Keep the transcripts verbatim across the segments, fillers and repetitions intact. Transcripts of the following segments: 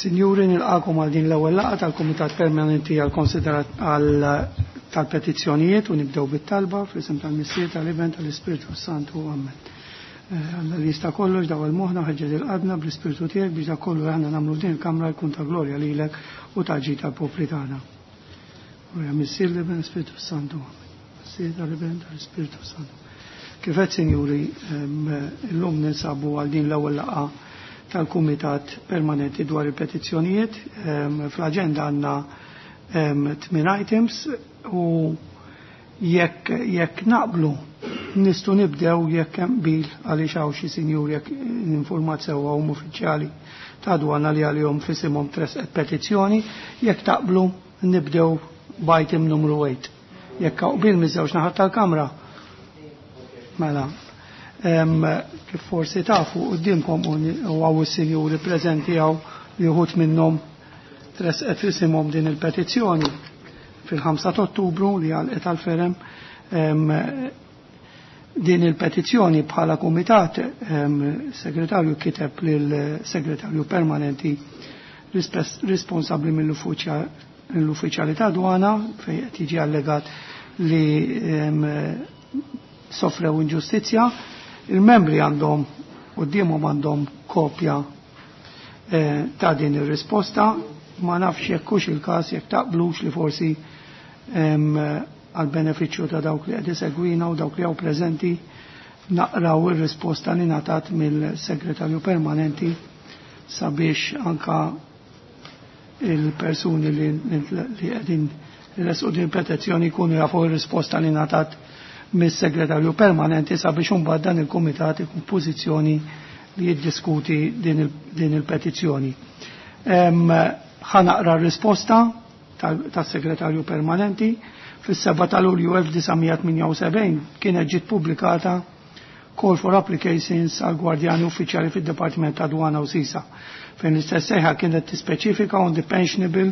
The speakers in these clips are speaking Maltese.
Sinjuri, nilqakom għal din l-ewwel laqgħa tal-Kumitat Permanenti għal konsiderat għal tal-petizzjonijiet u nibdew bit-talba fl-isem tal-Missier, tal-Iben, tal-Ispirtu Santu. Amen. Alla li jista' kollox daw il-moħħna ħeġġeġ il-qalbna bl-Ispirtu tiegħek biex dak kollu aħna nagħmlu f'din il-kamra jkun ta' glorja lilek u ta' ġid tal-popli tagħna. Glorja Missier, l-Iben, l-Ispirtu Santu. Amen. Missier, tal-Iben, tal-Ispirtu Santu. Kif qed, sinjuri, illum ninsabu għal din l-ewwel laqgħa tal-Kumitat Permanenti dwar il-petizzjonijiet. Fl-aġenda għandna tmien items u jekk jekk naqblu nistgħu nibdew, jekk hemm qbil, għaliex hawn xi sinjur, jekk informat sewwa, hum uffiċjali ta' dwana li għalihom f'isimhom tresqet petizzjoni, jekk taqblu nibdew b'item numru tmienja. Jekk hawn qbil miż-żewġ naħat tal-kamra. Mela, kif forsi tafu qudiemkom u hawn is-sinjuri preżenti hawn li uħud minnhom tresqet f'isimhom din il-petizzjoni fil-ħamsa ta' Ottubru li għalqet għal-ferem din il-petizzjoni, bħala kumitat segretarju kiteb lil segretarju permanenti responsabbli mill-uffiċjali ta' dwana fejn qed jiġi allegat li sofrew inġustizzja. Il-membri għandhom qudiemhom, għandhom kopja eh, ta' din ir-risposta. Ma nafx jekk hux il-każ, jekk taqblux li forsi għal benefiċċju ta' dawk li qed isegwina u dawk li hawn preżenti naqraw ir-risposta li ngħatat mill-segretarju permanenti sabiex anka il-persuni li qegħdin resqu din petizzjoni jkunu jafu ir-risposta li ngħatat mis-segretarju permanenti sabiex imbagħad dan il-kumitat ikun pożizzjoni li jiddiskuti din il-petizzjoni. Ħa naqra r-risposta tas-segretarju permanenti. Fis-seba' ta' Lulju elf disa' mija tmienja u sebgħin kienet ġiet pubblikata call for applications għal gwardjani uffiċjali fid-Dipartiment ta' Dwana u Sisa, fejn l-istess sejħa kienet tispeċifika on the pensionable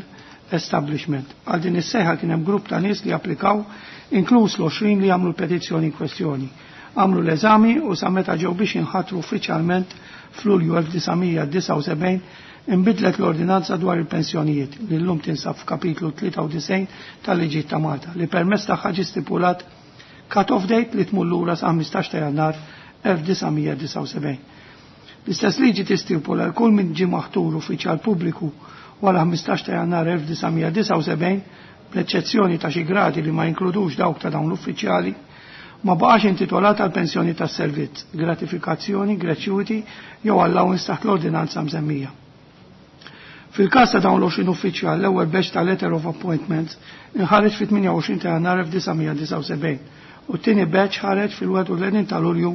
establishment. Għal din is-sejħa kien hemm grupp ta' nies li applikaw, inkluż l-għoxrin li għamlu l-petizzjoni in kwestjoni. Għamlu l-eżami u sa meta ġew biex jinħatru uffiċjalment f'Lulju elf disa' mija disgħa u sebgħin imbidlet l-ordinanza dwar il-pensjonijiet li llum tinsab f'kapitlu tlieta u disgħin tal-liġi ta' Malta, li permezz tagħha ġie stipulat cut-off date li tmur lura sa ħmistax ta' Jannar elf disa' mija disgħa u sebgħin. L-istess liġi tistipula li kull min ġie maħtur uffiċjal pubbliku wara ħmistax ta' Jannar elf disa' mija disgħa u sebgħin, bl-eċċezzjoni ta' xi gradi li ma jinkludux dawk ta' dawn l-uffiċjali, ma baqax intitolat għal pensjoni tas servizz, gratifikazzjoni, gratuity jew allowance taħt l-ordinanza msemmija. Fil-każ ta' dawn l-għoxrin uffiċjal, l-ewwel batch ta' letter of appointment inħareġ fit-tmienja u għoxrin ta' Jannar elf disa' mija disgħa u sebgħin u t-tieni batch ħareġ fil-wieħed u tletin ta' Lulju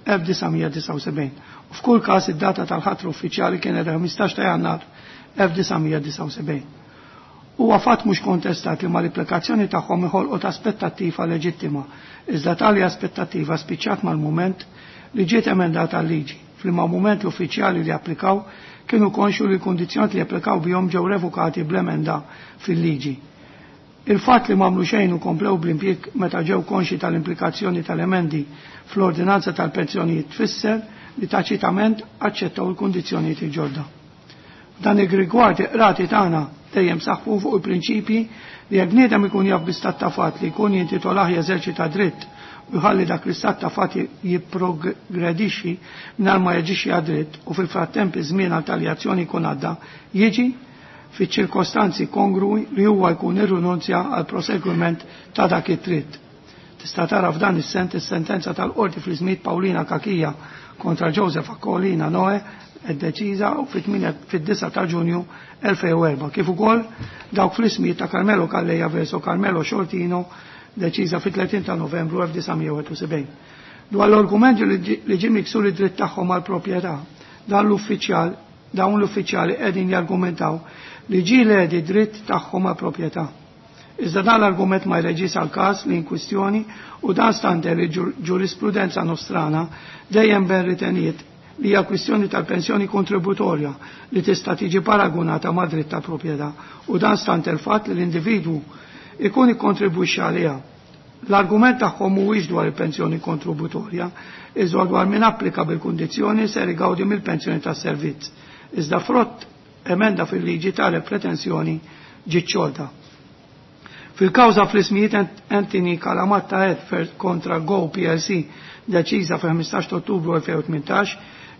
elf disa' mija disgħa u sebgħin. U f'kull każ id-data tal-ħatra uffiċjali kienet ħmistax ta' Jannar elf disa' mija disgħa u sebgħin. Huwa fatt mhux kontestat li mal-applikazzjoni tagħhom inħolqot aspettattiva leġittima, iżda tali aspettattiva spiċċat mal-mument li ġiet emendata l-liġi. Fl-imma mument l-uffiċjali li applikaw kienu konxu li l-kundizzjoni li applikaw bihom ġew revokati bl-emenda fil-liġi. Il-fatt li m'għamlu xejn u komplew bl-impjieg meta ġew konxi tal-implikazzjoni tal-emendi fl-ordinanza tal-pensjonijiet tfisser li taċitament aċċettaw il-kundizzjonijiet il-ġodda. Dan ir-rigward rati tagħna dejjem saħħu fuq il-prinċipji li jekk bniedem ikun jaf bi stat ta' fatt li jkun jintitolah jeżerċita dritt u jħalli dak l-istat ta' fatt jipprogredixxi mingħajr ma jaġixxi għad-dritt u fil-frattemp iż-żmien għal tali azzjoni jkun għadda, jiġi fiċ-ċirkostanzi kongrui li huwa jkun irrinunzja għal proseguiment ta' dak id-dritt. Tista' tara f'dan is-sent is-sentenza tal-qorti fl-iżmiet Paulina Cachia kontra Joseph Aquilina Noe deċiża fid-disa ta' Ġunju elfejn u erbgħa, kif ukoll dawk fl-ismijiet ta' Carmelo Calleja verso Carmelo Sciortino, deċiża fit-tletin ta' Novembru elf disa' mija wieħed u sebgħin. Dwar l-argumenti li ġie miksur id-dritt tagħhom għal proprjetà, dan l-uffiċjal dawn l-uffiċjali qegħdin jargumentaw li ġie ledi dritt tagħhom għal proprjetà. Iżda dan l-argument ma jreġis għal każ li in kwistjoni u dan stante li ġurisprudenza nostrana dejjem ben riteniet li hija kwistjoni tal-pensjoni kontributorja li tista' tiġi paragunata ma' dritt ta' proprjetà u dan stante il-fatt li l-individwu ikun ikkontribwixxi għaliha. L-argument tagħhom mhuwiex dwar il-pensjoni kontributorja, iżda dwar min applika bil-kundizzjoni ser igawdi mill-pensjoni tas-servizz. Iżda frott emenda fil-liġi tale pretensjoni ġiet xolta. Fil-kawża fl-ismijiet Anthony Calamatta Edford kontra Go P L C deċiża fil-ħmistax ta' Ottubru elfejn u tmintax,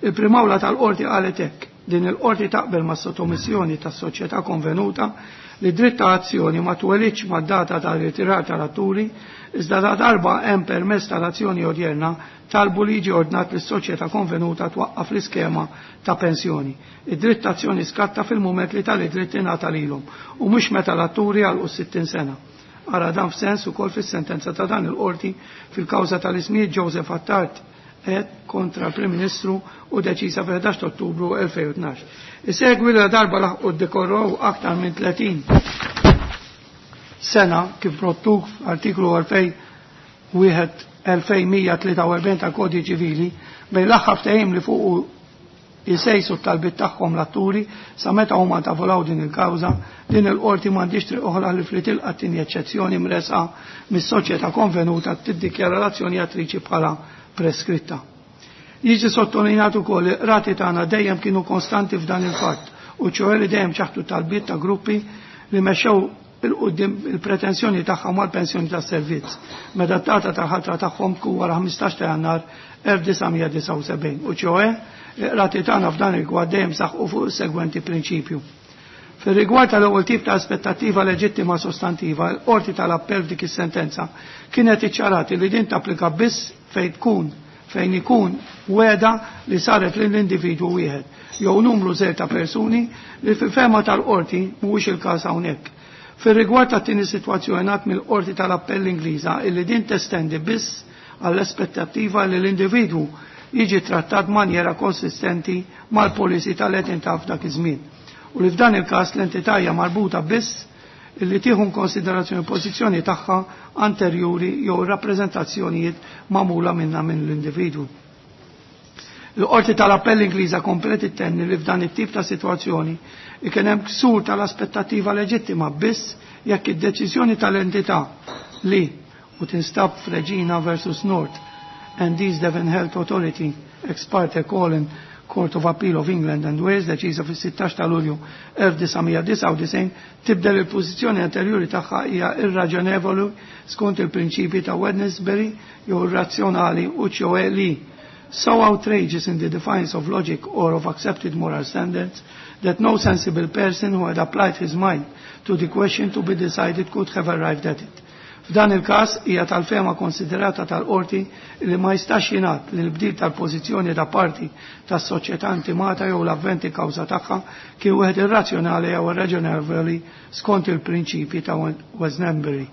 il-Prim'Awla tal-Qorti qalet hekk: din il-Qorti taqbel ma' sottomissjoni tas-soċjetà konvenuta li dritt ta' azzjoni ma twelidx mad-data tal-ritirar tal-atturi, iżda da darba hemm permess tal-azzjoni odjerna talbu li jiġi ordnat lis soċjetà konvenuta twaqqaf l-iskema ta' pensjoni. Id-dritt ta' azzjoni skatta fil-mument li tali dritt ingħata lilhom u mhux meta l-atturi għalqu sittin sena. Ara dan f'sens ukoll fis-sentenza ta' dan il-qorti fil-kawża tal-ismijiet Joseph Attard et kontra l-Prim Ministru u deċiża fil-ħdax ta' Ottubru elfejn u tnax. Isegwi li darba laħqu ddekorrow aktar minn tletin sena kif rottuk f'artiklu elfejn wieħed elfejn mija tlieta u erbgħin tal-Kodiċi Ċivili bejn l-aħħar ftehim li fuqu jisejsu t-talbiet tagħhom l-atturi sa meta huma tavolaw din il-kawża, din il-qorti m'għandix triq oħra li fli tilqa' tieni eċċezzjoni mresqa mis-soċjetà konvenuta tiddikjara l-azzjoni attriċi bħala preskritta. Jiġi sottolineat ukoll li qrati tagħna dejjem kienu konstanti f'dan il-fatt u ċoħe li dejjem ċaħtu talbiet ta' gruppi li mexxew il-qudiem il-pretensjoni tagħhom għall-pensjoni tas-servizz meta d-data tal-ħatra tagħhom tkun wara ħmistax ta' Jannar elf disa' mija disgħa u sebgħin u ċoħe qrati tagħna f'dan il-rigward dejjem saħqu fuq is-segwenti prinċipju. Fir-rigward tal-ewwel tip ta' aspettattiva leġittima sostantiva, l-qorti tal-appell f'dik is-sentenza kienet iċċarati li din tapplika biss fejn tkun fejn ikun weda li saret lill-individwu wieħed jew numru żgħir ta' persuni li fil-fema tal-qorti mhuwiex il-każ hawnhekk. Fir-rigward tat-tieni sitwazzjoni ngħad mill-qorti tal-appell Ingliża illi din testendi biss għall-aspettattiva li l-individwu jiġi trattat b'manjera konsistenti mal-policy tal-entità f'dak iż-żmien. U li f'dan il-każ l-entità hija marbuta biss illi tieħu konsiderazzjoni pożizzjoni tagħha anterjuri jew rappreżentazzjonijiet magħmula minnha minn l-individwu. Il-qorti tal-appell Ingliża komplet ittenni li f'dan it-tip ta' sitwazzjoni ikun hemm ksur tal-aspettattiva leġittima biss jekk id-deċiżjoni tal-entità li u tinstab f'Regina versus North and East Devon Health Authority ex parte Colin Court of Appeal of England and Wales deċiża fis-sittax ta' Lulju elf disa' mija disgħa u disgħin tibdel il-pożizzjoni anterjuri tagħha hija irraġonevoli skont il-prinċipji ta' Wednesbury jew irrazzjonali u ċjoe li so outrageous in the defiance of logic or of accepted moral standards that no sensible person who had applied his mind to the question to be decided could have arrived at it. F'dan il-każ hija tal-fema konsiderata tal-qorti li ma jistax jingħad li l-bdil tal-pożizzjoni ta' parti tas-soċjetà intimata jew l-avventi kawża tagħha kien wieħed irrazzjonali jew irraġonevoli skont il-prinċipji ta' Wednesbury.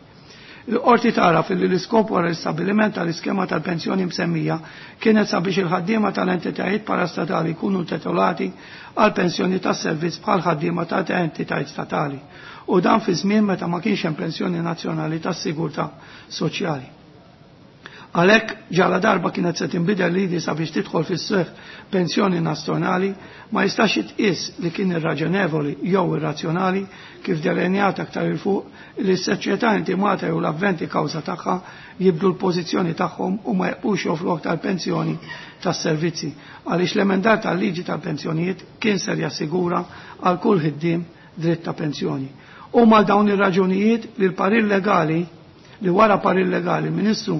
Il-qorti tara li l-iskop wara l-istabbiliment tal-iskema tal-pensjoni msemmija kienet sabiex il-ħaddiema tal-entitajiet parastatali jkunu titolati għal pensjoni tas-servizz bħal ħaddiema ta' entitajiet statali u dan fi żmien meta ma kienx hemm pensjoni nazzjonali tas-sigurtà soċjali. Għalhekk ġala darba kienet se tinbidel lidi sabiex tidħol fis-seħħ pensjoni nazzjonali ma jistax jitqies li kien irraġonevoli jew irrazzjonali kif delineat aktar il fuq li s-soċjetà intimata jew l-avventi kawża tagħha jibdu l-pożizzjoni tagħhom u ma jibqux joffru aktar pensjoni tas-servizzi għaliex l-emendar tal-liġi tal-pensjonijiet kien ser jassigura għal kull ħiddiem dritt ta' pensjoni. U mal dawn ir-raġunijiet li l-parir legali li wara parir legali il-Ministru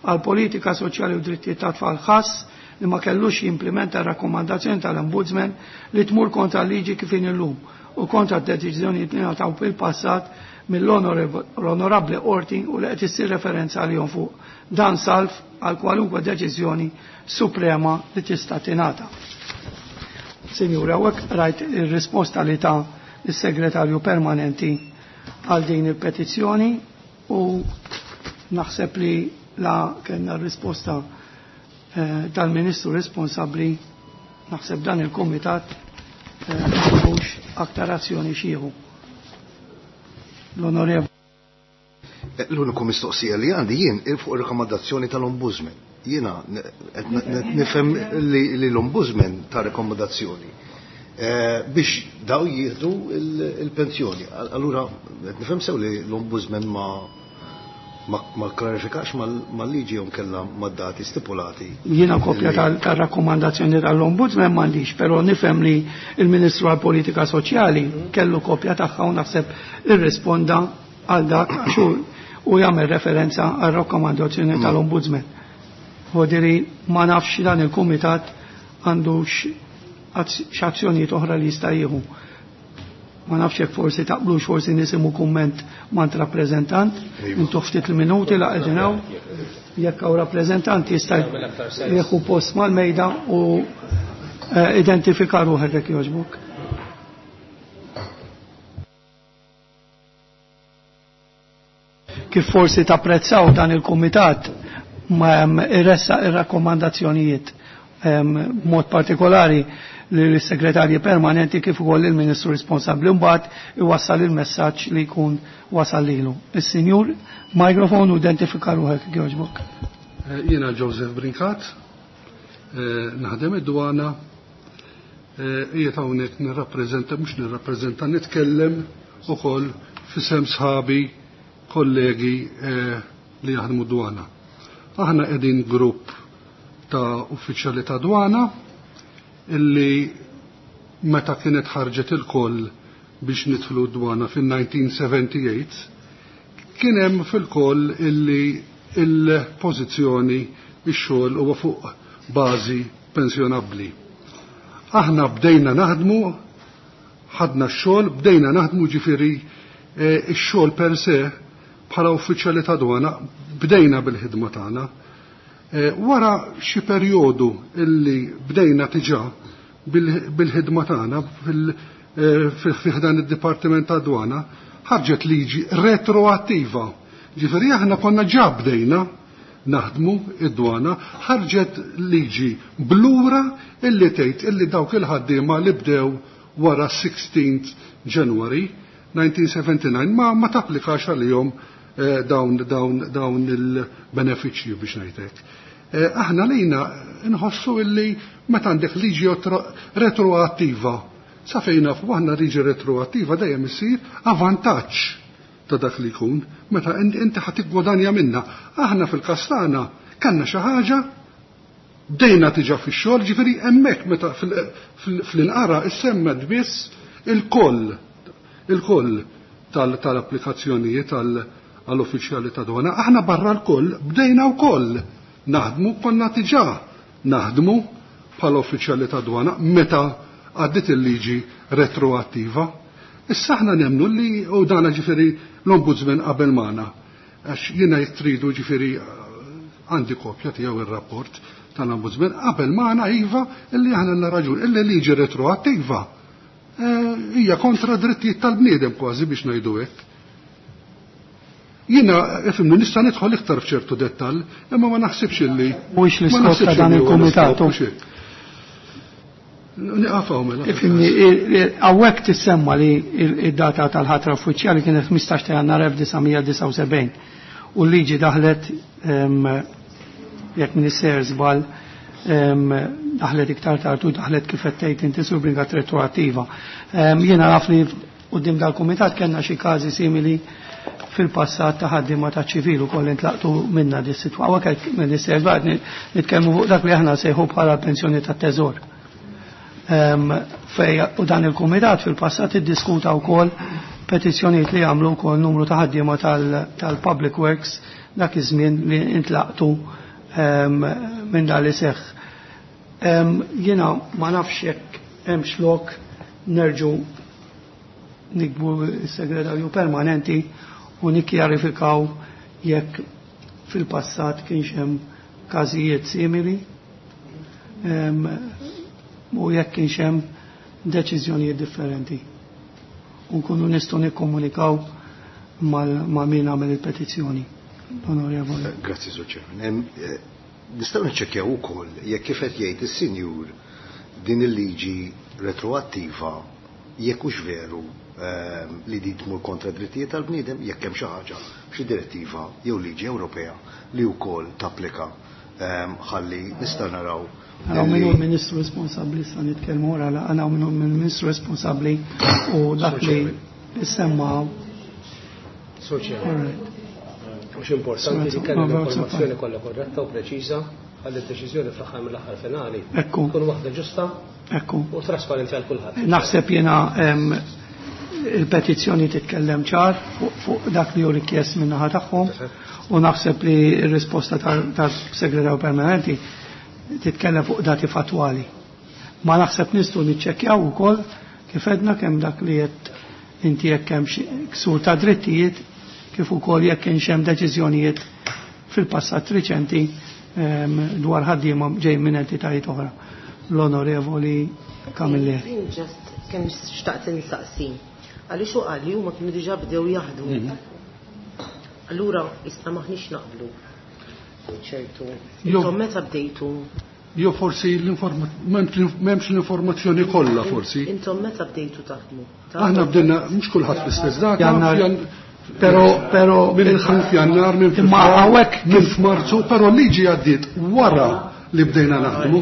għal politika soċjali u drittijiet ta' tfal ħass li ma kellux jimplementa r-rakkomandazzjoni tal-Ombudsman li tmur kontra l-liġi kif inhi llum u kontra d-deċiżjonijiet li ngħataw fil-passat mill-onorabbli qorti u li qed issir referenza għalihom fuq dan salv għal kwalunkwe deċiżjoni suprema li tista' tingħata. Sinjura, hawnhekk rajt ir-risposta li ta' is-segretarju permanenti għal din il-petizzjoni u naħseb li la kellna r-risposta eh, tal-Ministru responsabbli naħseb dan il-Kumitat eh, m'għandux aktar azzjoni xieħu. L-Onorevoli. Eh, l-uniku mistoqsija li għandi jien fuq ir-rekomandazzjoni tal-Ombudsman. Jiena qed nifhem li l-Ombudsman ta' rekomandazzjoni eh, biex daw jieħdu il-pensjoni. Allura qed nifhem sew li l-Ombudsman ma ma klarifikax mal-liġi jew kellha mad-dati stipulati. Jiena kopja tar-rakkomandazzjoni tal-Ombudsman m'għandix, però nifhem li l-Ministru għall-Politika Soċjali kellu kopja tagħha u naħseb irrisponda għal dak għax u jagħmel referenza għar-rakkomandazzjoni tal-Ombudsman. Vodiri ma nafx dan il-kumitat għandu x'azzjonijiet oħra li jista' jieħu. Ma nafx jekk forsi taqblux forsi nisimgħu kumment mant rappreżentant, intu ftit il-minuti la qegħdin hawn. Jekk hawn rappreżentant jista' jieħu post mal-mejda u identifika ruħek jekk jogħġbok. Kif forsi tapprezzaw dan il-kumitat ma irressa ir-rakkomandazzjonijiet b'mod partikolari l-segretarji permanenti kif ukoll il-Ministru responsabbli mbagħad iwassal il-messaġġ li jkun wasal lilu. Is-Sinjur, mikrofon u identifika ruħek jogħġbok. Jiena Joseph Brincat, naħdem id-dwana, qiegħed hawnhekk nirrappreżenta mhux nirrappreżenta nitkellem ukoll f'isem sħabi kollegi li jaħdmu d-dwana. Aħna qegħdin grupp ta' uffiċjali ta' dwana illi meta kienet ħarġet il-koll biex nidħlu d-dwana fin-nineteen seventy-eight kien hemm fil-koll illi il-pożizzjoni ix-xogħol huwa fuq bażi pensjonabbli. Aħna bdejna naħdmu, ħadna x-xogħol, bdejna naħdmu ġifieri x-xogħol per se bħala uffiċjali ta' dwana bdejna bil-ħidma tagħna. Wara xi perjodu illi bdejna diġà bil-ħidma tagħna fil-ħdan id-Dipartiment ta' Dwana ħarġet liġi retroattiva. Ġifieri aħna konna ġa bdejna naħdmu id-dwana, ħarġet liġi blura illi tgħid illi dawk il-ħaddiema li bdew wara sixteenth January nineteen seventy-nine ma ma tapplikax għalihom dawn dawn dawn il-benefiċċji biex ngħidlek. Aħna lejna nħossu illi meta għandek liġi retroattiva, sa fejn nafu aħna liġi retroattiva dejjem issir avantaġġ ta' dak li jkun, meta inti ħa tiggwadanja minna. Aħna fil-każ tagħna kellna xi ħaġa bdejna diġà fix-xogħol, ġifieri hemmhekk meta fl-inqara issemmet biss il-koll il-koll tal-applikazzjonijiet għall-uffiċjali ta' dwana. Aħna barra l-koll bdejna wkoll naħdmu, konna diġà naħdmu bħala uffiċjali ta' dwana meta għaddit il-liġi retroattiva. Issa aħna nemmnu li u dana ġifieri l-Ombudsman qabel magħna, għax jiena jekk tridu ġifieri għandi kopja tiegħu ir-rapport tal-Ombudsman qabel magħna iva illi aħna għandna raġun illi liġi retroattiva hija kontra drittijiet tal-bniedem kważi biex ngħidu hekk. Jiena ifhimni nista' nidħol iktar f'ċertu dettall, imma ma naħsibx illi mhuwiex l-iskop ta' dan il-kumitat. Nieqaf hawn mela. Ifhimni, hawnhekk tissemma li id-data tal-ħatra uffiċjali kienet ħmistax ta' Jannar elf disa' mija disgħa u sebgħin u l-liġi daħlet jekk min isser żball daħlet iktar tard u daħlet kif qed tgħid inti Sur Brincat retroattiva. Jiena naf li quddiem dal-kumitat kellna xi każi simili fil-passat ta' ħaddiema ta' ċivil ukoll intlaqtu minna dis sitwa. Hawnhekk qed min isser żball nitkellmu fuq dak li aħna sejħu bħala pensjoni tat-teżor. Fej u dan il-kumitat fil-passat iddiskuta wkoll petizzjonijiet li għamlu wkoll numru ta' ħaddiema tal-Public Works dak iż-żmien li intlaqtu minn dan li seħħ. Jiena ma nafx jekk hemmx lok nerġu nikbu s-segretarju permanenti u nikkjarifikaw jekk fil-passat kienx hemm każijiet simili u jekk kienx hemm deċiżjonijiet differenti. U nkunu nistgħu nikkomunikaw ma' min għamel il-petizzjoni. Onorevole. Grazzi, Sur Chairman. Nistgħu niċċekkjaw ukoll jekk kif qed jgħid is-sinjur din il-liġi retroattiva jekk hux veru li din tmur kontra drittijiet tal-bniedem, jekk hemm xi ħaġa, xi direttiva jew liġi Ewropea li wkoll tapplika ħalli nista' naraw. Għaw minnu l-Ministru responsabbli, sa nitkellmu wara, għaw minnu l-Ministru responsabbli u dak li semma. All right. Mhux importanti li kellna l-informazzjoni kollha korretta u preċiża għal id-deċiżjoni fl-aħħar mill-aħħar finali. Ekku. Tkun waħda ġusta Ekku. u trasparenti għal kulħadd. Naħseb jiena il-petizzjoni titkellem ċar fuq dak li hu rikjest min-naħa tagħhom u naħseb li r-risposta tas-segretarju permanenti titkellem fuq dati fatwali. Ma naħseb nistgħu niċċekkjaw ukoll kif edna kemm dak li qed inti jekk hemm ksur ta' drittijiet kif ukoll jekk kienx hemm deċiżjonijiet fil-passat riċenti dwar ħaddiema ġej minn entitajiet oħra. L-Onorevoli Camilleri. Jien ġast kemm xtaqt insaqsi. Għaliex hu qal li huma kienu diġà bdew jaħdmu. Allura issa maħniex naqblu. ċertu. Intom meta bdejtu? Jo forsi m'hemmx l-informazzjoni kollha forsi. Intom meta bdejtu taħdmu? Aħna bdejna mhux kulħadd fl-istess data. Pero pero minn f'Jannar, minn imma hawnhekk minn f'Marzu, però l-liġi għaddiet wara li bdejna naħdmu.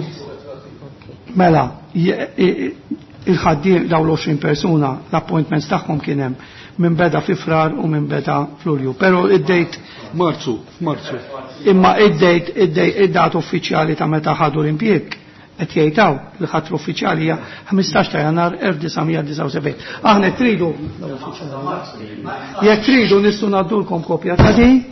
Mela, il-ħaddiem dawn l-għoxrin persuna, l-appointments tagħhom kien hemm minn beda fi Frar u minn beda f'Lulju. Però id-dejt Marzu, Marzu. Imma id-dejt id-dat uffiċjali ta' meta ħadu l-impjieg qed jgħidaw li ħatru uffiċjali hija ħmistax ta' Jannar elf disa' mija disgħa u sebgħin. Aħna tridu jekk tridu nistgħu ngħaddulkom kopja ta' din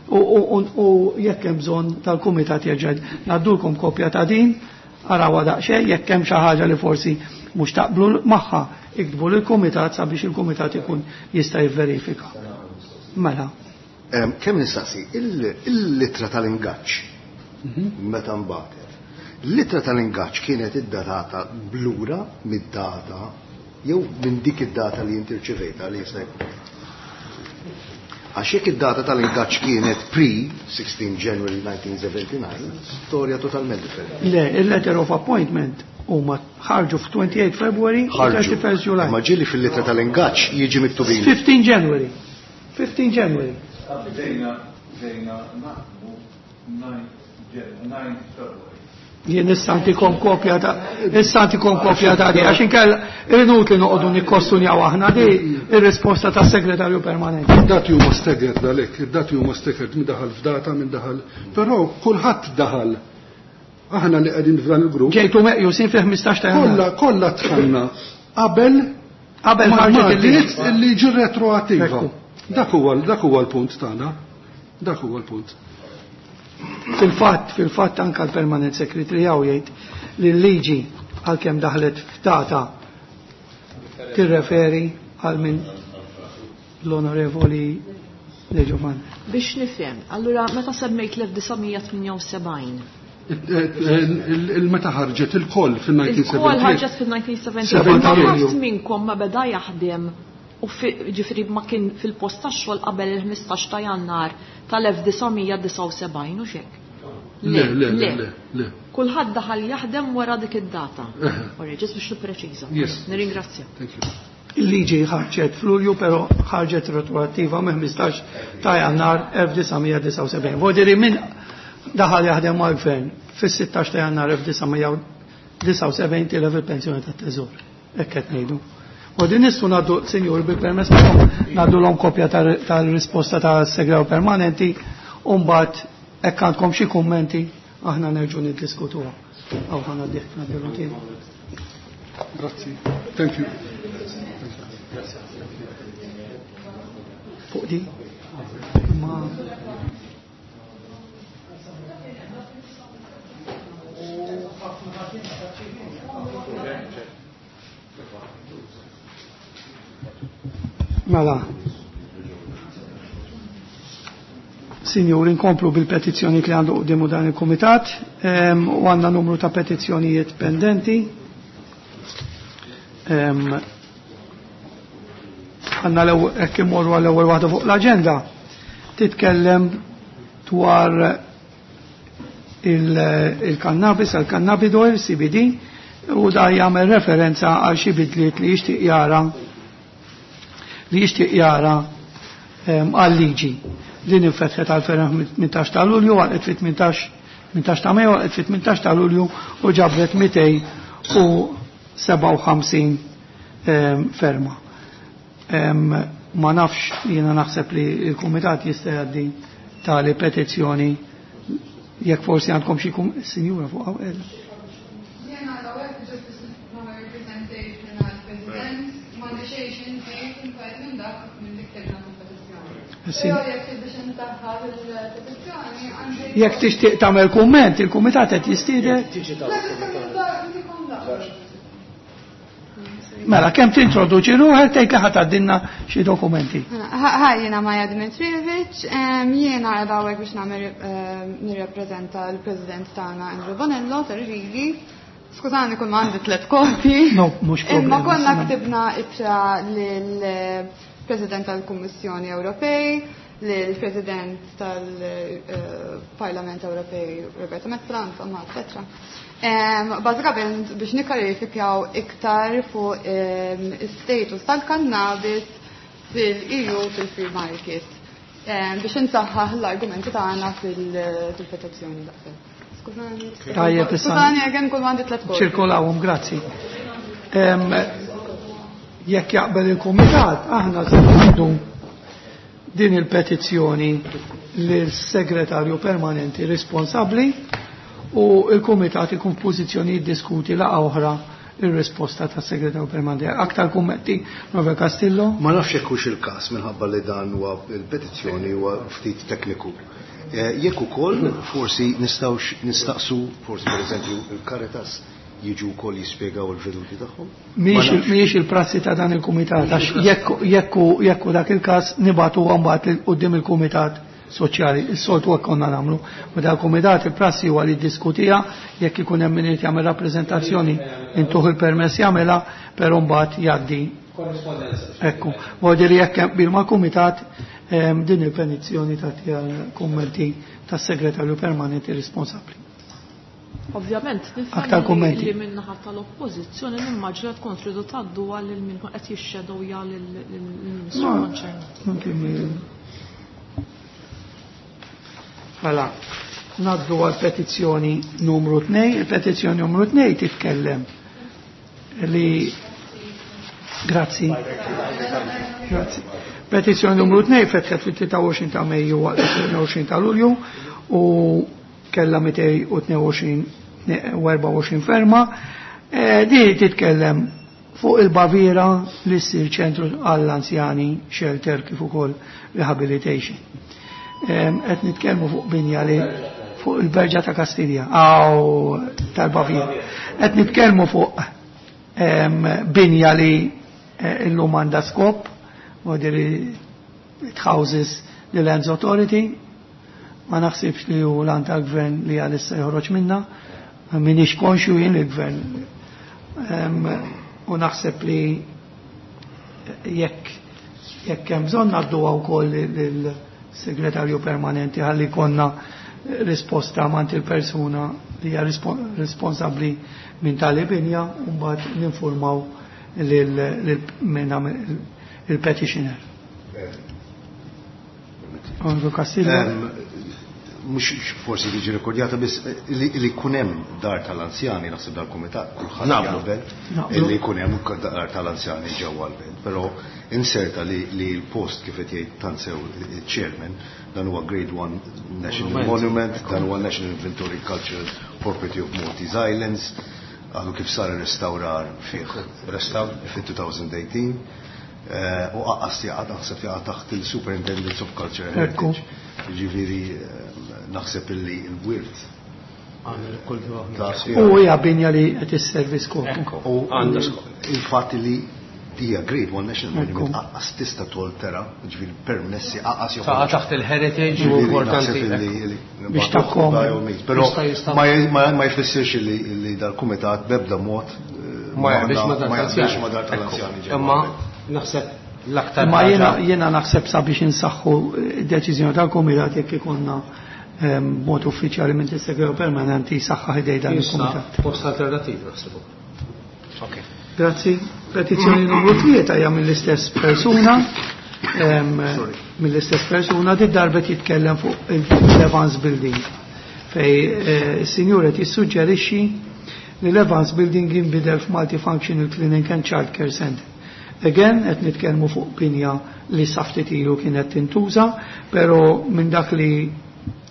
u jekk hemm bżonn tal-kumitat jerġa' ngħaddulkom kopja ta' din, arawha daqsxejn, jekk hemm xi ħaġa li forsi mhux taqblu magħha, iktbu lill-kumitat sabiex il-kumitat ikun jista' jivverifika. Mela. Kemm nistaqsi, il-litra tal-ingaġġ meta nbagħtet. L-ittra tal-ingaġġ kienet id-datata blura mid-data jew minn dik id-data li inti rċevejta li jista' jkun. Għax jekk id-data tal-ingaġġ kienet pre sixteen January nineteen seventy-nine, storja totalment differenti. Le, il-letter of appointment huma ħarġu f' twenty-eight February u thirty-first July. Ma ġieli fil-ittra tal-ingaġġ jiġi miktubin. fifteen January. fifteen January. Bdejna bdejna naħdmu nine February. Jien issa ntikom kopja ta' issa ntikom kopja ta' di għax inkella inutli noqogħdu nikkostunjaw aħna di ir-risposta tas-segretarju permanenti. Id-dati huma staggered għalhekk, id-dati huma staggered min daħal f'data, min daħal. Però kulħadd daħal. Aħna li qegħdin f'dan il-grupp. Ġejtu meqjusin fi ħmistax ta' Jannar. Kollha kollha dħalna qabel qabel ħarġet il-liġi il-liġi retroattiva. Dak huwa dak huwa l-punt tagħna. Dak huwa l-punt. Fil-fatt, fil-fatt anka l-Permanent Secretary hawn jgħid li l-liġi għalkemm daħlet f'data tirreferi għal minn l-Onorevoli De Giovanni. Biex nifhem, allura meta semmejt l-elf disa' mija tmienja u sebgħin? Il-meta ħarġet il-koll fil-nineteen seventy-eight. Il-koll ħarġet fil-nineteen seventy-eight. Ħadd minnkom ma beda jaħdem u ġifieri ma kien fil-post tax-xogħol qabel il-ħmistax ta' Jannar tal-elf disa' mija disgħa u sebgħin u xek. Le, le, le, le. Kulħadd daħal jaħdem wara dik id-data. Ora, ġest biex nippreċiża. Yes. Nirringrazzja. Thank you. Il-liġi ħarġet f'Lulju, però ħarġet retroattiva minn ħmistax ta' Jannar elf disa' mija disgħa u sebgħin. Vodiri minn daħal jaħdem mal-gvern fis-sittax ta' Jannar elf disa' mija disgħa u sebgħin tilef il-pensjoni tat-teżor. Hekk qed ngħidu. U din nistgħu ngħaddu, sinjur, bil-permess tagħkom, ngħaddu l-om kopja tal-risposta tas-segretarju permanenti u mbagħad hekk għandkom xi kummenti aħna nerġgħu niddiskutuha. Aw ħa ngħaddih, ngħaddilu tiegħi. Grazzi. Thank you. Fuq di? Ma Mela. Signori, nkomplu bil-petizzjoni li għandu quddiemu dan il-Kumitat, ehm, u għandna numru ta' petizzjonijiet pendenti. Ehm, għandna l-ewwel, hekk imorru għall-ewwel waħda fuq l-aġenda, titkellem dwar il-cannabis, il-cannabis oil, C B D, u da jagħmel referenza għal xi bidliet li jixtieq jara li jixtieq jara, ehm, għal-liġi. Din infetħet għal ferem tmintax ta' Lulju, għal fit tmintax, tmintax ta' Mejju, għal fit tmintax ta' Lulju u ġabret mitej u sebgħa u ħamsin, ehm, ferma. Ehm, Ma nafx, jiena naħseb li l-kumitat jista' jgħaddi tali petizzjoni jekk forsi għandkom xi sinjura fuq hawn. Jiena l-ewwel ġust nagħmel representation għall-President, m'għandi xejn xi nżid imbagħad minn dak minn dik kellna fil-petizzjoni. Però jekk biex insaħħaħ il-petizzjoni għandi. Jekk tixtieq tagħmel kumment, il-kumitat qed jistiedek. Mela, kemm tintroduċi ruħek tgħid li ħa tgħaddilna xi dokumenti. Hi, jiena Maja Dimitrijevic, jiena qiegħda hawnhekk biex nagħmel nirrappreżenta l-President tagħna Andrew Bonello tal-Rigi. Skużani kull ma għandi tliet kopji. No, mhux problema. Imma konna ktibna ittra lill-President tal-Kummissjoni Ewropej, lill-President tal-Parlament Ewropej Roberta Metsola, insomma, eccetera. Bażikament biex nikkarifikaw iktar fuq is-status tal-kannabis fil-E U fil-free market. Biex insaħħaħ l-argumenti tagħna fil-petizzjoni daqshekk. Skużani. Tajjeb, issa. Skużani, again kull għandi tliet kopji. Ċirkolawhom, grazzi. Jekk jaqbel il-kumitat, aħna se ngħaddu din il-petizzjoni lill-segretarju permanenti responsabbli u il-kumitat ikun f'pożizzjoni jiddiskuti laqgħa oħra ir-risposta tas-segretarju permanenti. Aktar kummenti, Robert Castillo? Ma nafx jekk hux il-każ minħabba li dan huwa il-petizzjoni huwa ftit tekniku. Jekk ukoll forsi nistgħux nistaqsu forsi pereżempju il-Caritas jiġu wkoll jispjegaw il-veduti tagħhom? Mhijiex il-prassi ta' dan il-kumitat, għax jekk jekk dak il-każ nibagħtu mbagħad quddiem il-kumitat soċjali, is-soltu hekk konna nagħmlu. Meta l-kumitat il-prassi huwa li jiddiskutiha, jekk ikun hemm min irid jagħmel rappreżentazzjoni intuh il-permess jagħmilha, però mbagħad jgħaddi. Korrispondenza. Ekku, vuol dire jekk hemm bil mal-kumitat din il-petizzjoni tagħti għall-kummenti tas-segretarju permanenti responsabbli. Ovvjament, Aktar nifhem kummenti. li min-naħa tal-oppożizzjoni nimmaġina tkun tridu tgħaddu għal min qed jixxedowja lill-Ministru Ma, konċernat. anke mi- Mela, naddu għal petizzjoni numru tnejn. Il-petizzjoni numru tnejn titkellem li Grazzi. Grazzi. Petizzjoni numru tnejn fetħet fit-tlieta u għoxrin ta' Mejju għal tnejn u għoxrin ta' Lulju u kellha mitej u tnejn u għoxrin u erbgħa u għoxrin ferma. Eh, di titkellem fuq il-Baviera li ssir ċentru għall-anzjani, shelter kif ukoll rehabilitation. Qed nitkellmu fuq binja li fuq il-Berġa ta' Kastilja, aw tal-Baviera. Qed nitkellmu fuq binja li eh, illum għandha skop, vuol dire it houses the Lands Authority. Ma naħsibx li hu l-għan tal-gvern li għalissa joħroġ minna, minix konxju jien il-gvern. U naħseb li jekk jekk hemm bżonn ngħadduha wkoll lill-segretarju permanenti ħalli konna risposta mant il-persuna li hija responsabbli minn tali binja u mbagħad ninformaw lil il-petitioner. Onorevole Castillo. Mhux forsi tiġi rekordjata biss li jkun hemm dar tal-anzjani naħseb dal-kumitat kulħadd jaqbel li jkun hemm dar tal-anzjani ġewwa l-belt, però inserta li l-post kif qed jgħid tant sew il-chairman dan huwa Grade one National Monument, dan huwa National Inventory Cultural Property of Maltese Islands, għadu kif sar ir-restawrar fih restawr fi two thousand eighteen. U aqqas jaqa' naħseb jaqa' taħt il-Superintendence of Culture and Heritage. Ġifieri naħseb illi l-wirt. U hija binja li qed isservi skop. U għandha skop. Il-fatt li hija Grade one National Monument aqqas tista' toltera, ġifieri permessi aqqas jew. Taqa' taħt il-heritage u importanti. Biex takkom. Però ma jfissirx li dal-kumitat b'ebda mod ma jaqbilx ma dar tal-anzjani. Imma naħseb l-aktar. Ma jiena jiena naħseb sabiex insaħħu deċiżjoni tal-kumitat jekk ikollna mod uffiċjali minn segretarju permanenti saħħa ħidej dan il-kumitat. Post alternativ naħseb. Ok. Grazzi. Petizzjoni numru tlieta hija mill-istess persuna. Mill-istess persuna di darbet jitkellem fuq il-Evans Building fej is-sinjur qed jissuġġerixxi li l-Evans Building jinbidel f'Multifunctional Clinic and Child Care Center. Again, qed nitkellmu fuq binja li sa ftit ilu kienet tintuża, però minn dak li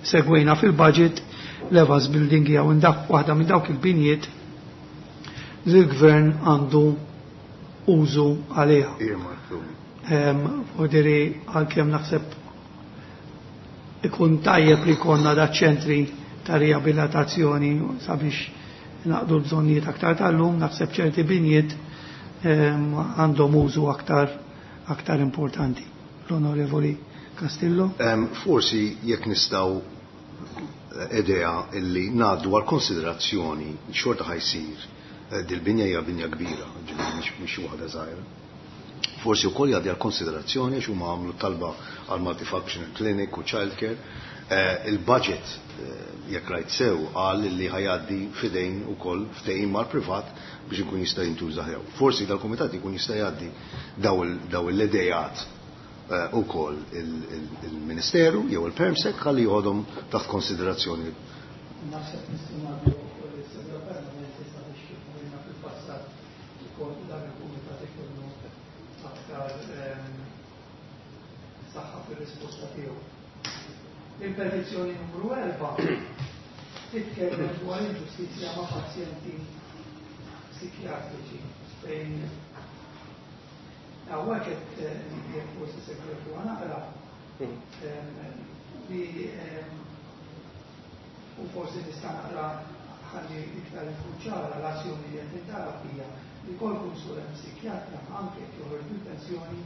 segwejna fil-budget l-Evans Building hija waħda minn dawk il-binjiet li l-gvern għandu użu għaliha. Vodiri għalkemm naħseb ikun tajjeb li konna da ċentri ta' riabilitazzjoni sabiex naqdu l-bżonnijiet aktar tal-lum, naħseb ċerti binjiet għandhom użu aktar aktar importanti. L-Onorevoli Castillo. Um, forsi jekk nistgħu idea illi ngħaddu għal konsiderazzjoni xorta ħajsir dil-binja hija binja kbira, ġifieri mhix waħda żgħira. Forsi wkoll jgħaddi għal konsiderazzjoni għax huma għamlu talba għal multifunctional clinic u childcare. Il-budget jekk rajt sew qal li ħajgħaddi f'idejn ukoll ftehim mal-privat biex ikun jista' jintuża ħew. Forsi dal-kumitat ikun jista' jgħaddi daw l-idejat ukoll il-Ministeru jew il-Permsec ħalli joħodhom taħt konsiderazzjoni. Naħseb nistgħu ngħaddu wkoll is-Segretarju Permanenti sabiex kif għamilna fil-passat ukoll dan il-kumitat ikollu aktar saħħa fir-risposta tiegħu. Il-petizzjoni numru erba' titkellem dwar inġustizzja ma' pazjenti psikjatriċi fejn hawnhekk qed jekk forsi segretu naqra li u forsi nista' naqra ħalli iktar ikun ċara l-azzjoni li qed tintalab hija li kull konsulent psikjatra anke jekk joħorġ bil-pensjoni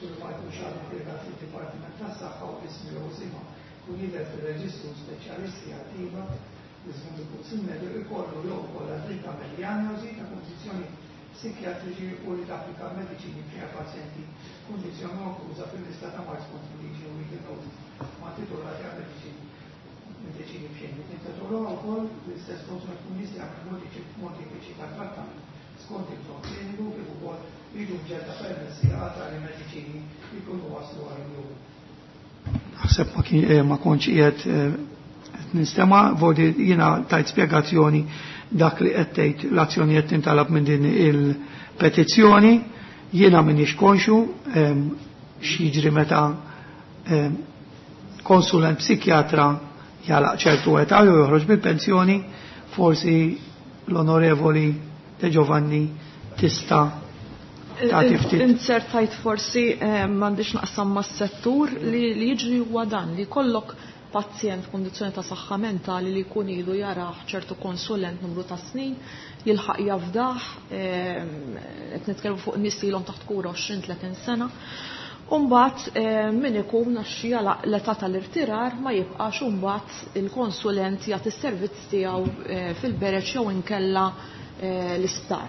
u ma jkunx għadu impjegat fid-Dipartiment tas-Saħħa u ismi jew isimha kun jidher fir-reġistru speċjalisti attiva li skont il-Kunsill Mediku jkollu jew ukoll dritt tagħmel dijanjosi ta' kundizzjoni psikjatriċi u li tapplika mediċini b'xi pazjenti kundizzjoni onkluża fil-lista ta' mard skont il-liġi u legal notice ma' titolati għal mediċini mediċini b'xejn. Intitolaw ukoll l-istess konsumat kun jista' jagħmel modifiċi ta' trattament skont il-bżonn kliniku kif ukoll jiġu mġedda permessi għal tali mediċini li jkunu waslu għal jum. Naħseb ma kontx qiegħed qed nistema' vodi jiena tajt spjegazzjoni dak li qed tgħid l-azzjoni qed tintalab minn din il-petizzjoni, jiena m'iniex konxu x'jiġri meta konsulent psikjatra jalaq ċertu età jew joħroġ bil-pensjoni, forsi l-Onorevoli De Giovanni tista' tagħti ftit. Insertajt forsi m'għandix naqsam mas-settur li jiġri huwa dan li kollok pazjent f'kundizzjoni ta' saħħa mentali li jkun ilu jarah ċertu konsulent numru ta' snin, jilħaq jafdah, qed nitkellmu fuq nies li ilhom taħt kura għoxrin tletin sena. U mbagħad min ikun għax jalaq l-età tal-irtirar ma jibqax u mbagħad il-konsulent jagħti s-servizz tiegħu fil-bereġ jew inkella l-isptar.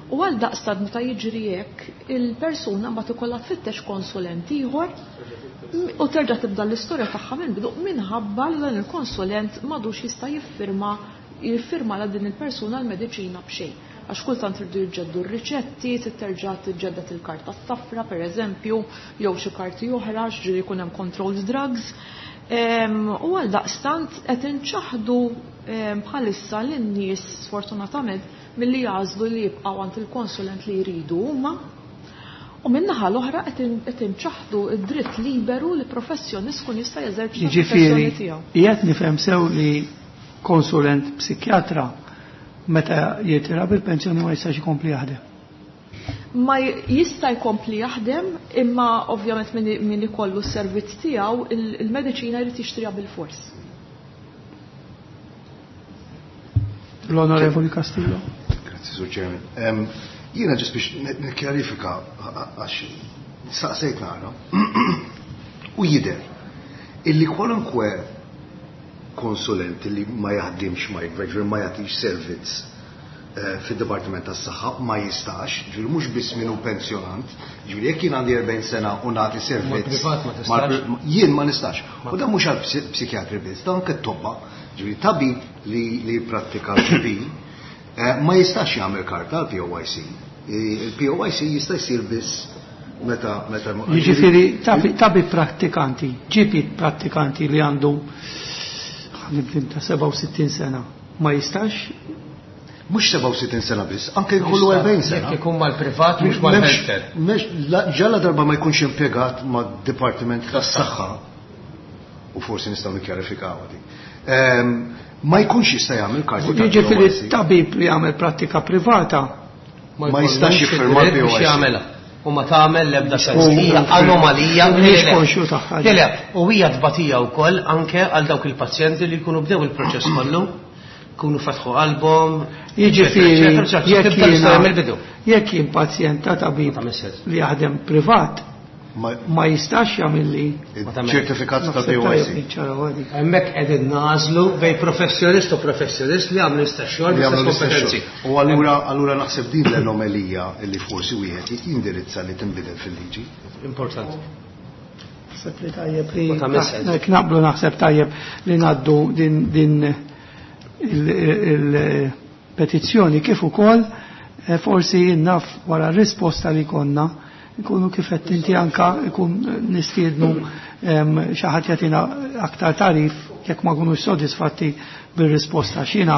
U għal daqstant meta jiġri hekk, il-persuna mbagħad ikollha tfittex konsulent ieħor u terġa' tibda l-istorja tagħha minn bidu minħabba li dan il-konsulent m'għadux jista' jiffirma jiffirma la din il-persuna l-mediċina b'xejn. Għax kultant irdu jiġġeddu r-riċetti, terġa' tiġġedded il-karta s-safra pereżempju, jew xi karti oħra, ġieli jkun hemm controlled drugs. U għal daqstant qed inċaħdu bħalissa lin-nies sfortunatament milli jagħżlu li jibqgħu għand il-konsulent li jridu huma. U min-naħa l-oħra qed inċaħdu d-dritt liberu li professjonist kun jista' jeżerċita l-professjoni tiegħu. Qiegħed nifhem sew li konsulent psikjatra meta jitira bil-pensjoni ma jistax ikompli jaħdem. Ma jista' jkompli jaħdem, imma ovvjament min ikollu s-servizz tiegħu il-mediċina jrid jixtriha bil-fors. L-Onorevoli Castillo. Grazzi, Sur Chairman. Jiena ġest biex nikkjarifika għax saqsejt nara u jidher illi kwalunkwe konsulent li ma jaħdimx ma jgħid ma jagħtix servizz fid-Dipartiment tas-Saħħa ma jistax, ġifieri mhux biss min hu pensjonant, ġifieri jekk jien għandi erbgħin sena u nagħti servizz jien ma nistax. U dan mhux għal psikjatri biss, dan anke t-tobba, ġifieri tabib li li jipprattika l-G P ma jistax jagħmel karta għal P O Y C. Il-P O Y C jista' jsir biss meta meta Jiġifieri tabib prattikanti, G P prattikanti li għandu ta' sebgħa u sittin sena ma jistax Mhux sebgħa u sittin sena biss, anke jkollu erbgħin sena. Jekk ikun mal-privat mhux mal-healthcare. Ġalla darba ma jkunx impjegat mad-Dipartiment tas-Saħħa, u forsi nistgħu nikkjarifikaw di. Ma jkunx jista' jagħmel karti. Jiġifieri tabib li jagħmel prattika privata ma jistax jiffirma l-P O I C. U ma tagħmel l-ebda sens. Hija anomalija. Mhix konxju tagħha. Le, u hija tbatija wkoll anke għal dawk il-pazjenti li jkunu bdew il-proċess kollu, kunu fetħu qalbhom. Jiġifieri jekk jien pazjent ta' tabib li jaħdem privat ma jistax jagħmilli ċertifikat ta' P O I C. Hemmhekk qegħdin nażlu bejn professjonist u professjonist li għamlu l-istess xogħol bl-istess kompetenzi. U allura allura naħseb din l-anomalija li forsi wieħed jindirizza li tinbidel fil-liġi. Importanti. Naħseb li tajjeb li naqblu, naħseb tajjeb li ngħaddu din din il-petizzjoni kif ukoll forsi naf wara r-risposta li konna nkunu kif qed inti anka ikun nistiednu xi ħadd jagħtina aktar tarif jekk ma nkunux sodisfatti bir-risposta. Xina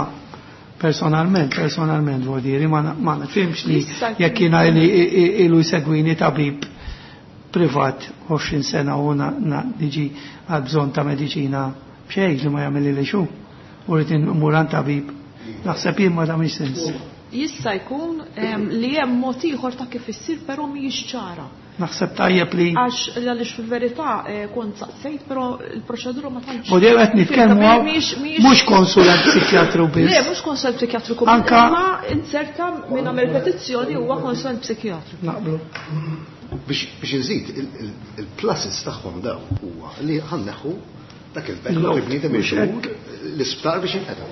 personalment, personalment vuol dire, ma ma nifhimx li jekk jiena ilu jsegwini tabib privat għoxrin sena u niġi għal bżonn ta' mediċina b'xejn li ma jagħmel li xu u rrid immur għand tabib. Naħseb jien ma tagħmilx sens. Jista' jkun li hemm mod ieħor ta' kif issir, però mhijiex ċara. Naħseb tajjeb li Għax għaliex fil-verità kont saqsejt, però il-proċedura ma tantx. U dejjem qed nitkellmu mhux konsulent psikjatru biss. Le, mhux konsulent psikjatru Anka ma inserta minn għamel petizzjoni huwa konsulent psikjatru. Naqblu. Biex inżid, il-pluses tagħhom daw huwa li ħa nneħħu dak il-backlog il-bniedem idur l-isptar biex jinqeda.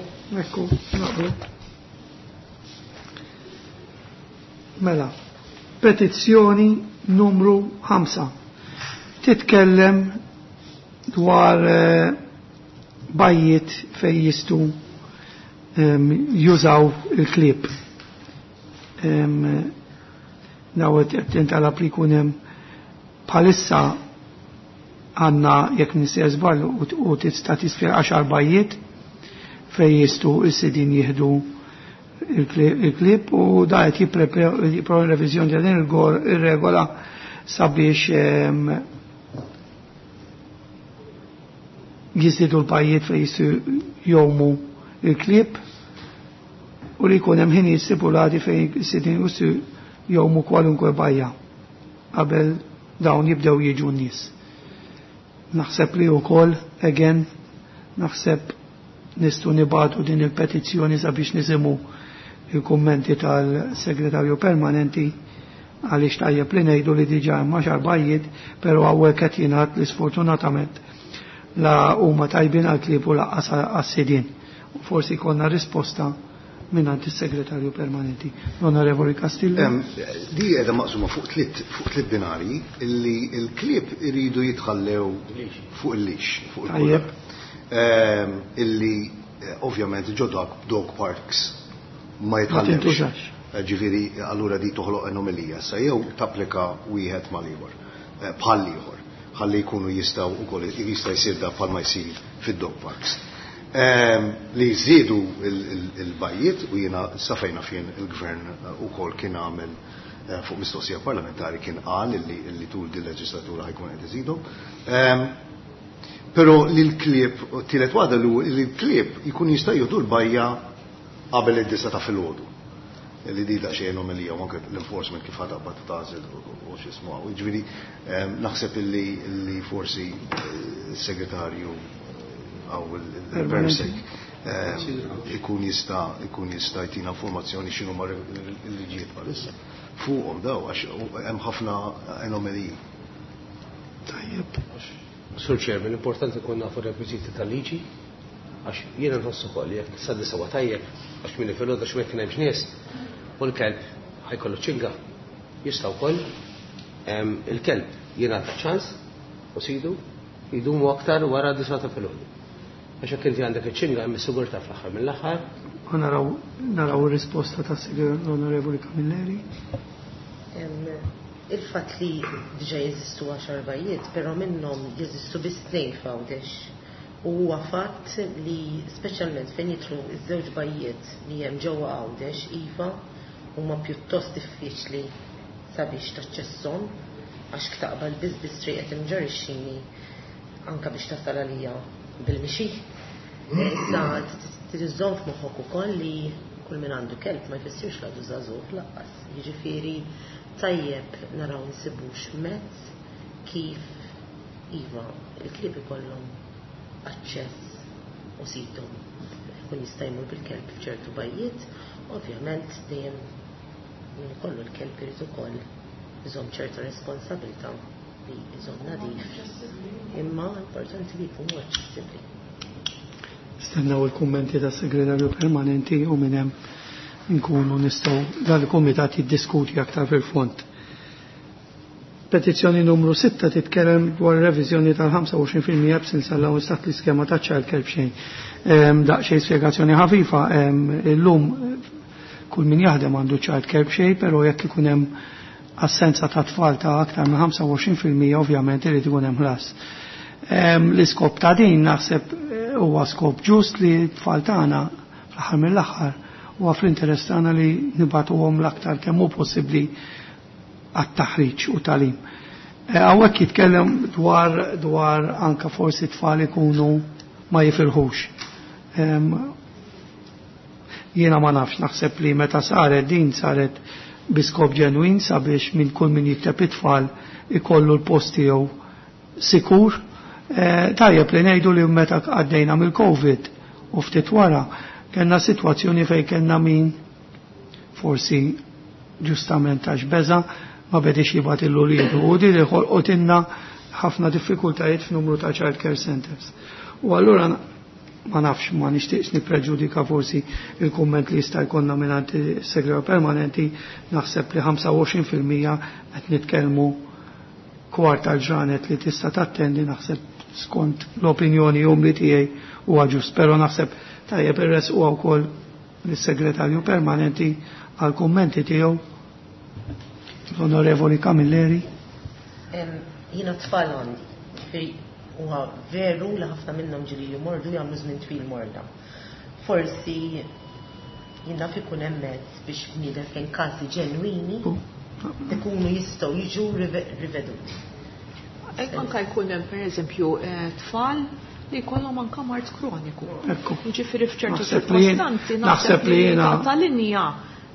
Ekku, naqblu. Mela, petizzjoni numru ħamsa. Titkellem dwar bajjiet fej jistu jużaw il-klieb. Dawet tintalab li jkun hemm bħalissa għandna, jekk nisir żball, u tista' tisfir għaxar bajjiet fej jistu s-sidin jieħdu il-klieb, u da qed jipprepara reviżjoni ta' din ir-regola sabiex jiżdiedu l-bajjiet fejn jistu jgħumu il-klieb u li jkun hemm ħinijiet stipulati fejn s-sidin jistu jgħumu kwalunkwe bajja qabel dawn jibdew jiġu n-nies. Naħseb li wkoll, again, naħseb nistgħu nibagħtu din il-petizzjoni sabiex nisimgħu il-kummenti tal-segretarju permanenti, għaliex tajjeb li ngħidu li diġà hemm għaxar bajjiet, però hawnhekk qed jingħad li sfortunatament la huma tajbin għall-klieb u lanqas għas-sidien. U forsi jkollna risposta mingħand is-segretarju permanenti. L-Onorevoli Castillo. Di qiegħda maqsuma fuq tliet fuq tliet binarji illi l-klieb iridu jitħallew fuq il-leash, fuq il-collar. Illi ovvjament ġo dog, dog parks ma jitħallewx. Ġifieri allura di toħloq anomalija sa jew tapplika wieħed mal-ieħor, bħal ieħor, ħalli jkunu jistgħu wkoll jista' jsir da bħal ma jsir fid-dog parks. Li jżidu il-bajjiet, u jiena safejna fien il-gvern ukoll kien għamel fuq mistoqsija parlamentari, kien qal li tul din leġislatura ħa jkun qed iżidhom. Però li l-klieb, tielet waħda, li l-klieb jkun jista' jieħdu l-bajja qabel id-disgħa ta' filgħodu. Li di daqsxejn anomalija, u anke l-enforcement kif ħa taqbad tagħżel u x'ismu. Ġifieri naħseb illi forsi s-segretarju għaw il-Persec ikun jista' ikun jista' jtina informazzjoni x'inhu ma l-liġijiet bħalissa fuqhom daw, għax hemm ħafna anomaliji. Tajjeb. Sur Chairman, importanti kun nafu rekwiżiti tal-liġi, għax jiena nħossu ukoll jekk sad-disgħa huwa tajjeb, għax minn filgħodu għax ma kien hemmx nies, u l-kelb ħa jkollu ċinga. Jista' wkoll il-kelb jingħata ċans u sidu jidumu aktar wara disgħa ta' filgħodu. Għax jekk inti għandek iċ-ċinga hemm is-sigurtà fl-aħħar mill-aħħar. U naraw naraw ir-risposta tas l-Onorevoli Camilleri. Il-fatt li diġà jeżistu għaxar bajjiet, però minnhom jeżistu biss tnejn f'Għawdex. U huwa fatt li speċjalment fejn jidħlu iż-żewġ bajjiet li hemm ġewwa Għawdex, iva, huma pjuttost diffiċli sabiex taċċesshom għax taqbal biss biss triq qed imġarr ix-xini anke biex tasal għalija bil-mixi. Issa trid iżżomm f'moħħok ukoll li kull min għandu kelb ma jfissirx l għadu żagħżugħ lanqas. Jiġifieri tajjeb naraw nsibux mezz kif iva il-klieb ikollhom aċċess u sidhom kun jista' jmur bil-kelb f'ċertu bajjiet, ovvjament dejjem min ikollu l-kelb irid ukoll iżomm ċerta responsabilità li iżomm nadif. Imma importanti li jkunu aċċessibbli. Stennaw il-kummenti tas segretarju permanenti u minn hemm nkunu nistgħu dal-kumitat jiddiskuti aktar fil-fond. Petizzjoni numru sitta titkellem dwar reviżjoni tal-ħamsa u għoxrin fil-mija absence allowance taħt l-iskema ta' child care b'xejn. Ehm, daqsxejn spjegazzjoni ħafifa, ehm, illum kull min jaħdem għandu child care b'xejn, però jekk ikun hemm assenza ta' tfal ta' aktar minn ħamsa u għoxrin fil-mija ovvjament irid ikun hemm ħlas. Ehm, l-iskop ta' din naħseb huwa skop ġust li t-tfal tagħna fl-aħħar mill-aħħar huwa fl-interess tagħna li nibagħtuhom l-aktar kemm hu possibbli għat-taħriġ u tagħlim. Eh, hawnhekk jitkellem dwar, dwar anka forsi tfal ikunu ma jifilħux. Ehm, jiena ma nafx, naħseb li meta saret din saret bi skop ġenwin sabiex minn kull min jikteb it-tfal ikollu l-post tiegħu sikur. Eh, tajjeb li ngħidu li meta għaddejna mill-Covid u ftit wara kellna sitwazzjoni fejn kellna min forsi ġustament għax beża ma bedix jibgħat il-luliedu u din li ħolqotilna ħafna diffikultajiet f'numru ta' child care centers. U allura ma nafx, ma nixtieqx nippreġudika forsi il-kumment li jista' jkollna mingħand is-segretarju permanenti, naħseb li ħamsa u għoxrin fil-mija qed nitkellmu kwart tal-ġranet li tista' tattendi, naħseb skont l-opinjoni umli tiegħi huwa ġust, però naħseb tajjeb irres huwa wkoll lis-segretarju permanenti għal kummenti tiegħu l-Onorevoli Camilleri. Em, jiena tfal għandi, ġifieri huwa veru li ħafna minnhom ġieli jmordu jagħmlu żmien twil morda. Forsi jien naf ikun hemm mezz biex bniedem fejn każi ġenwini ikunu jistgħu jiġu rive-, riveduti. Hekk anke jkun hemm pereżempju, eh, tfal li jkollhom anke mard kroniku. Ekku. Jiġifieri f'ċertu Naħseb li jien- ċirkostanzi naħseb li jiena ta' linja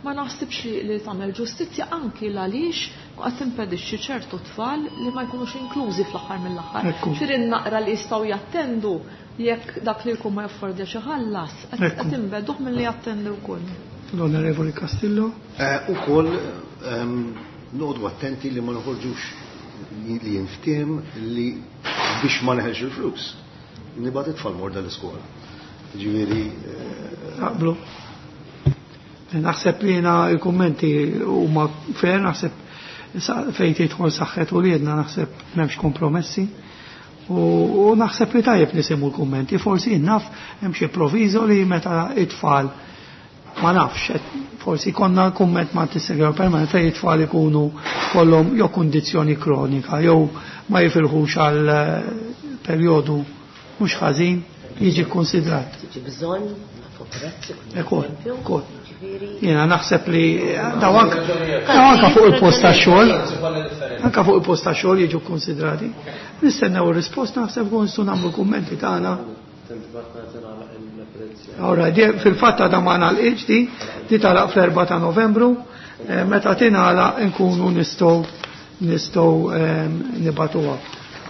ma naħsibx li, li tagħmel ġustizzja anki għaliex qed timpedixxi ċertu tfal li ma jkunux inklużi fl-aħħar mill-aħħar. Ekku. Ġifieri naqra li jistgħu jattendu jekk dak li jkun ma jaffordjax iħallas, qed Ekku. qed inbeduh milli jattendu wkoll. L-Onorevoli Castillo. Eh, ukoll, ehm, noqogħdu attenti li ma noħorġux li jinftiem li biex ma neħelx il-flus. Nibgħat it-tfal morda l-iskola. Ġifieri, eh, Naqblu. Naħseb li jiena il-kummenti huma fair, naħseb sa-, fejn tidħol saħħet u liedna naħseb m'hemmx kompromessi. U, u naħseb li tajjeb nisimgħu l-kummenti, forsi naf hemm xi proviżo li meta it-tfal ma nafx, et forsi konna kumment ma' t-segrew permanent fejn it-tfal ikunu kollhom jew kundizzjoni kronika jew ma jifilħux għal, eh, perjodu mhux ħażin jiġi kkonsidrat. Tiġi bżonn, nafu prezz, ikun Ekol, eżempju, ekol. ġifieri. Jiena naħseb li daw anka, daw anka fuq il-post tax-xogħol, anka fuq il-post tax-xogħol jiġu kkonsidrati. Nistennew ir-risposta, naħseb kun nistgħu nagħmlu kummenti tagħna. Ora, di, fil-fatt għadha ma nagħlqitx di, di tagħlaq fl-erba' ta' Novembru, eh, meta tingħalaq nkunu nistgħu, nistgħu, ehm, nibatuha.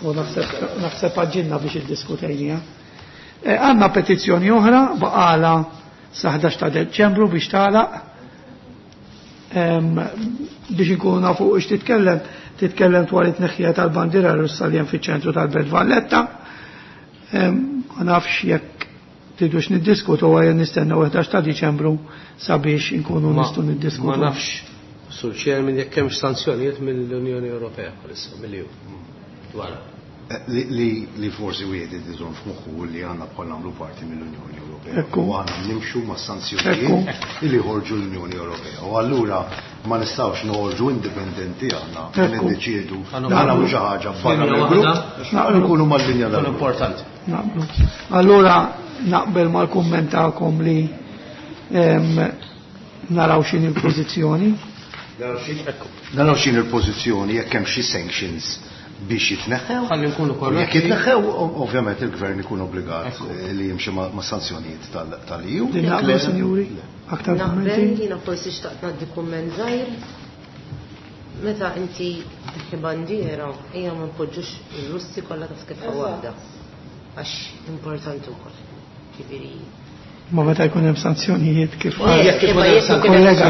U naħseb, naħseb għaġġilna biex iddiskutejniha. Eh, għandna petizzjoni oħra baqala sa ħdax ta' Deċembru biex tagħlaq. Ehm, biex inkunu nafu x titkellem, titkellem dwar it-tneħħija tal-bandiera Russa li hemm fiċ-ċentru tal-Belt Valletta. Ehm, ma nafx jekk tridux niddiskutu għajja nistennew ħdax ta' Diċembru sabiex inkunu Ma- nistgħu niddiskutu. Ma nafx, Sur Chairman, jekk hemmx sanzjonijiet mill-Unjoni Ewropea bħalissa, mill-E U. Dwar. Li forsi wieħed iżomm f'moħħu li għandna bħal nagħmlu parti mill-Unjoni Ewropea. U għandna nimxu ma' sanzjonijiet li ħorġu l-Unjoni Ewropea. U allura ma nistgħux noħorġu indipendenti aħna niddeċiedu nagħmlu xi ħaġa barra mill-grupp, nkunu mal-linja tal importanti. Naqblu. Allura naqbel mal-kumment tagħkom li naraw x'inhi l-pożizzjoni. Naraw x'inhi l-pożizzjoni jekk hemm xi sanctions biex jitneħħew. Ħalli nkunu korretti. Jekk jitneħħew, ovvjament il-gvern ikun obbligat li jimxi ma' sanzjonijiet tal-E U. Din naqblu, sinjuri? Aktar kummenti? Naqbel, jiena forsi xtaqt ngħaddi kumment żgħir. Meta inti tneħħi bandiera, ejja ma npoġġux ir-Russi kollha ta' skeffa waħda. Għax importanti wkoll. Ġifieri Ma meta jkun hemm sanzjonijiet kif kollega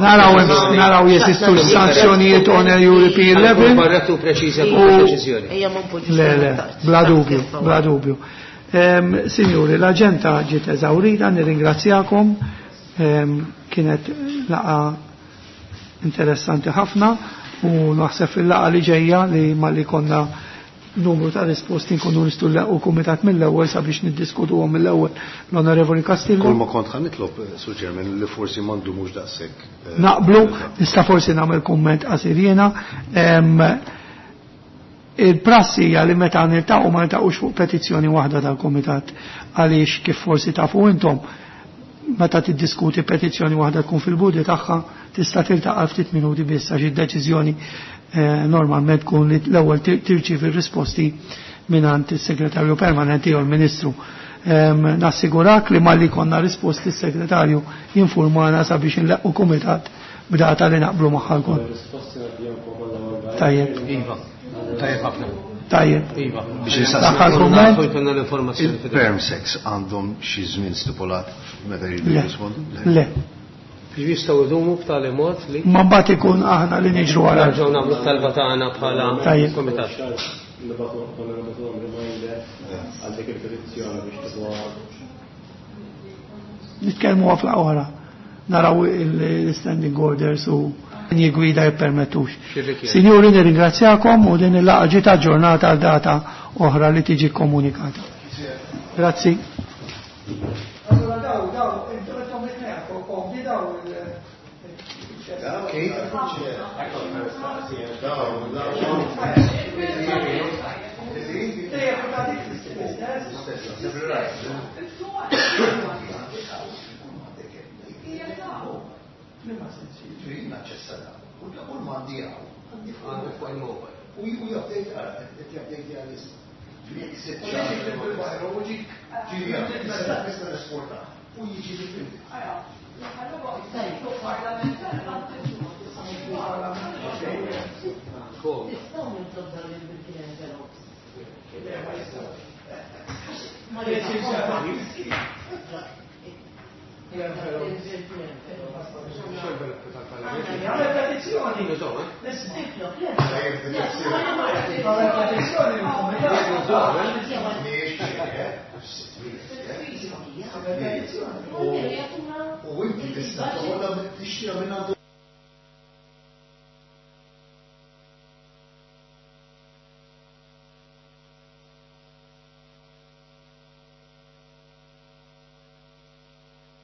naraw naraw jeżistu sanzjonijiet on a European level. Korrettu preċiża deċiżjoni. Le, le, bla dubju, bla dubju. Signori, l-aġenda ġiet eżawrita, nirringrazzjakom. Kienet laqgħa interessanti ħafna u naħseb fil-laqgħa li ġejja li malli konna numru ta' risposti nkunu nistgħu nlaqqu kumitat mill-ewwel sabiex niddiskutuhom mill-ewwel l-Onorevoli Castillo. Kull ma kont ħa nitlob, Sur Chairman, li forsi m'għandu mhux daqshekk. Naqblu, nista' forsi nagħmel kumment qasir jiena. Il-prassi hija li meta niltaqgħu ma niltaqgħux fuq petizzjoni waħda tal-kumitat għaliex kif forsi tafu intom meta tiddiskuti petizzjoni waħda tkun fil-budi tagħha tista' tiltaqa' ftit minuti biss għax id-deċiżjoni normalment tkun li l-ewwel tirċievi r-risposti mingħand is-segretarju permanenti jew l-Ministru. Nassigurak li malli konna risposti s-segretarju jinformana sabiex inleqqu kumitat b'data li naqblu magħha lkoll. Tajjeb. Iva. Tajjeb ħafna. Tajjeb. Iva. Biex L-aħħar kumment? Il-perm sex għandhom xi żmien stipulat meta jridu jirrispondu? Le. Jistgħu jdumu b'tali mod li Ma mbagħad ikun aħna li niġru wara. Nerġgħu nagħmlu t-talba tagħna bħala kumitat. Nitkellmu fl oħra. Naraw il-standing orders u linji gwida jippermettux. Signori, nirringrazzjakom u din il-laqgħa ġiet aġġornata għal data oħra li tiġi komunikata. Grazzi. Allora daw, daw, intom it-tnejn, daw U inti tista' toħodha tixtri minn għandu